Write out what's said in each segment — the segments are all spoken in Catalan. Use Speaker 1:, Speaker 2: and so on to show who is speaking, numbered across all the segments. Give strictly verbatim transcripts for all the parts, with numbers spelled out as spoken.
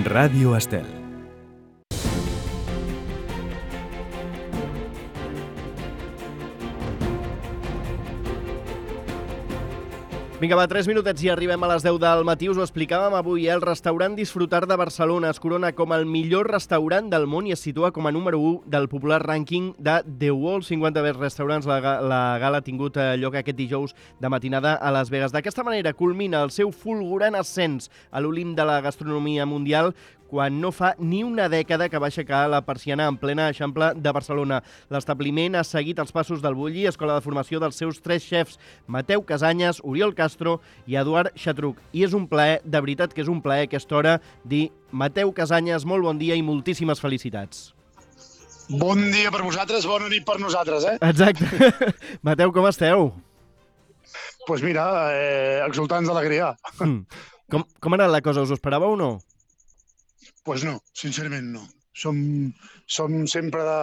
Speaker 1: Ràdio Estel.
Speaker 2: Vinga, va, tres minutets i arribem a les deu del matí. Us ho explicàvem avui, eh? El restaurant Disfrutar de Barcelona es corona com el millor restaurant del món i es situa com a número u del popular rànquing de The World cinquanta Best Restaurants. La, la gala ha tingut lloc aquest dijous de matinada a Las Vegas. D'aquesta manera culmina el seu fulgurant ascens a l'Olimp de la gastronomia mundial quan no fa ni una dècada que va aixecar la persiana en plena Eixample de Barcelona. L'establiment ha seguit els passos del Bulli, escola de formació dels seus tres xefs, Mateu Casanyes, Oriol Castro i Eduard Xatruc. I és un plaer, de veritat que és un plaer a aquesta hora, dir Mateu Casanyes, molt bon dia i moltíssimes felicitats.
Speaker 3: Bon dia per vosaltres, bona nit per nosaltres, eh?
Speaker 2: Exacte. Mateu, com esteu?
Speaker 3: Doncs pues mira, eh, exultants d'alegria.
Speaker 2: Mm. Com, com ha anat la cosa? Us ho esperàveu o no?
Speaker 3: Doncs pues no, sincerament no. Som, som sempre de,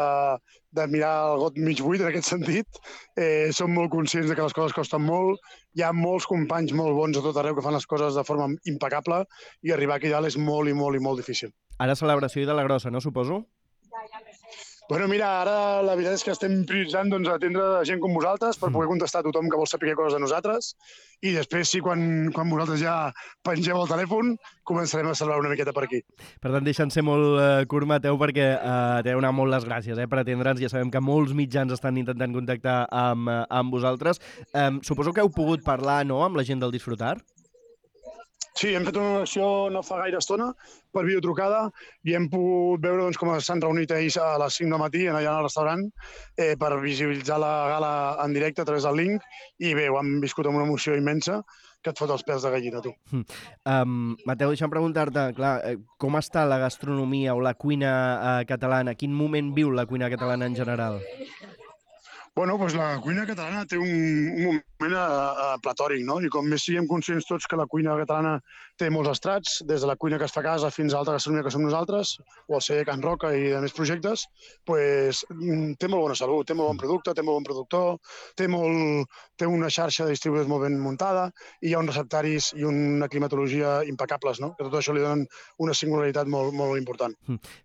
Speaker 3: de mirar el got mig buit en aquest sentit. Eh, som molt conscients de que les coses costen molt. Hi ha molts companys molt bons a tot arreu que fan les coses de forma impecable i arribar aquí dalt és molt i molt i molt difícil.
Speaker 2: Ara celebració i de la grossa, no, suposo?
Speaker 3: Bueno, mira, ara la veritat és que estem prioritzant doncs, atendre gent com vosaltres per poder contestar a tothom que vol saber coses de nosaltres i després, sí, quan, quan vosaltres ja pengeu el telèfon, començarem a celebrar una miqueta per aquí.
Speaker 2: Per tant, deixant ser molt eh, curt, Mateu, perquè eh, t'he donat molt les gràcies eh, per atendre'ns. Ja sabem que molts mitjans estan intentant contactar amb, eh, amb vosaltres. Eh, suposo que heu pogut parlar, no?, amb la gent del Disfrutar?
Speaker 3: Sí, hem fet una acció no fa gaire estona per videotrucada i hem pogut veure doncs, com s'han reunit ells a les cinc del matí allà al restaurant eh, per visibilitzar la gala en directe a través del link i bé, ho hem viscut amb una emoció immensa que et fot els pèls de gallina, tu.
Speaker 2: Mm. Um, Mateu, deixa'm preguntar-te, clar, eh, com està la gastronomia o la cuina eh, catalana? Quin moment viu la cuina catalana en general?
Speaker 3: Bueno, doncs la cuina catalana té un, un moment a, a platòric, no? I com més siguem conscients tots que la cuina catalana té molts estrats, des de la cuina que es fa a casa fins a l'altra gastronomia que som nosaltres, o el celler Can Roca i de més projectes, doncs té molt bona salut, té molt bon producte, té molt bon productor, té, molt, té una xarxa de distribuïdors molt ben muntada i hi ha uns receptaris i una climatologia impecables, no? Que tot això li donen una singularitat molt, molt important.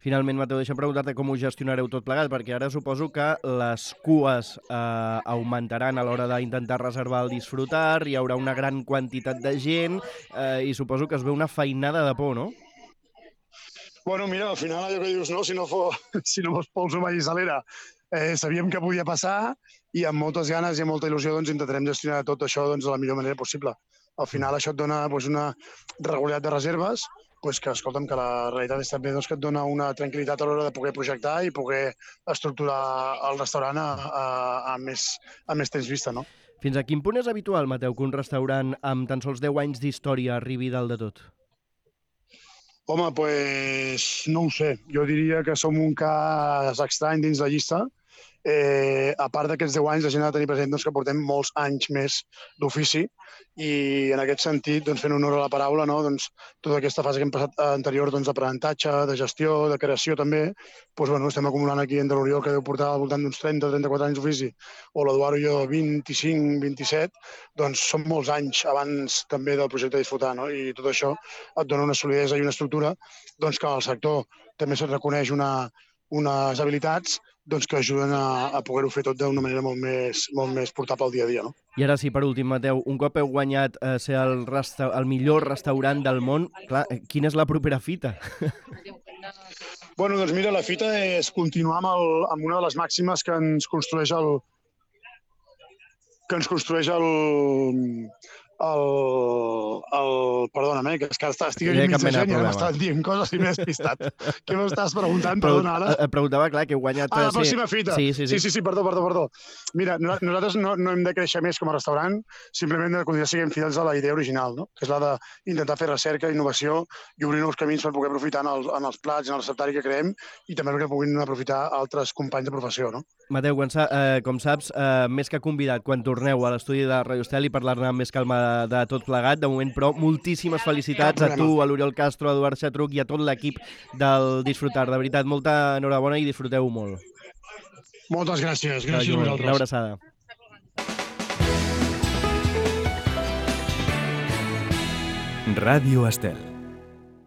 Speaker 2: Finalment, Mateu, deixa'm preguntar-te com ho gestionareu tot plegat, perquè ara suposo que les cues Eh, augmentaran a l'hora d'intentar reservar el Disfrutar, hi haurà una gran quantitat de gent eh, i suposo que es veu una feinada de por, no?
Speaker 3: Bueno, mira, al final allò que dius, no, si no fos, si no fos pols humà i salera, eh, sabíem que podia passar i amb moltes ganes i amb molta il·lusió doncs, intentarem gestionar tot això doncs, de la millor manera possible. Al final això et dona doncs, una regularitat de reserves pues que, escolta'm, que la realitat és també doncs, que et dona una tranquil·litat a l'hora de poder projectar i poder estructurar el restaurant a, a, a, més, a més temps vista, no?
Speaker 2: Fins a quin punt és habitual, Mateu, que un restaurant amb tan sols deu anys d'història arribi dalt de tot?
Speaker 3: Home, doncs pues, no ho sé. Jo diria que som un cas estrany dins la llista. Eh, a part d'aquests deu anys, la gent ha de tenir present doncs, que portem molts anys més d'ofici i en aquest sentit, doncs, fent honor a la paraula, no? doncs, tota aquesta fase que hem passat anterior doncs, d'aprenentatge, de gestió, de creació també, doncs, bueno, estem acumulant aquí entre l'Oriol, que deu portar al voltant d'uns trenta o trenta-quatre anys d'ofici, o l'Eduard i jo vint-i-cinc vint-i-set, doncs són molts anys abans també del projecte Disfrutar, no? I tot això et dona una solidesa i una estructura doncs, que al sector també se't reconeix una, unes habilitats doncs, que ajuden a, a poder-ho fer tot d'una manera molt més, molt més portable al dia a dia. No?
Speaker 2: I ara sí, per últim, Mateu, un cop heu guanyat eh, ser el, resta el millor restaurant del món, clar, quina és la propera fita?
Speaker 3: Bueno, doncs mira, la fita és continuar amb, el, amb una de les màximes que ens construeix el que ens construeix el, el, el perdona'm, eh, que és que estic aquí mig de gent i m'estan dient coses i m'he despistat. Què m'estàs preguntant? Perdona, ara.
Speaker 2: Et preguntava, clar, que heu guanyat...
Speaker 3: Ah, la pròxima fita.
Speaker 2: Sí, sí, sí.
Speaker 3: Sí, sí, sí, perdó, perdó, perdó. Mira, nosaltres no, no hem de créixer més com a restaurant, simplement de continuar siguem fidels a la idea original, no? Que és la d'intentar fer recerca, innovació i obrir nous camins per poder aprofitar en els, en els plats i en el receptari que creem i també perquè puguin aprofitar altres companys de professió, no?
Speaker 2: Mateu, quan sa, eh, com saps, eh, més que convidat, quan torneu a l'estudi de Radio Estel i parlar-ne amb més calma de, de tot plegat, de moment, però moltíssimes felicitats a tu, a l'Oriol Castro, a Eduard Xatruc i a tot l'equip del Disfrutar. De veritat, molta enhorabona i disfruteu molt.
Speaker 3: Moltes gràcies. Gràcies a vosaltres.
Speaker 2: Una abraçada.
Speaker 1: Ràdio Estel.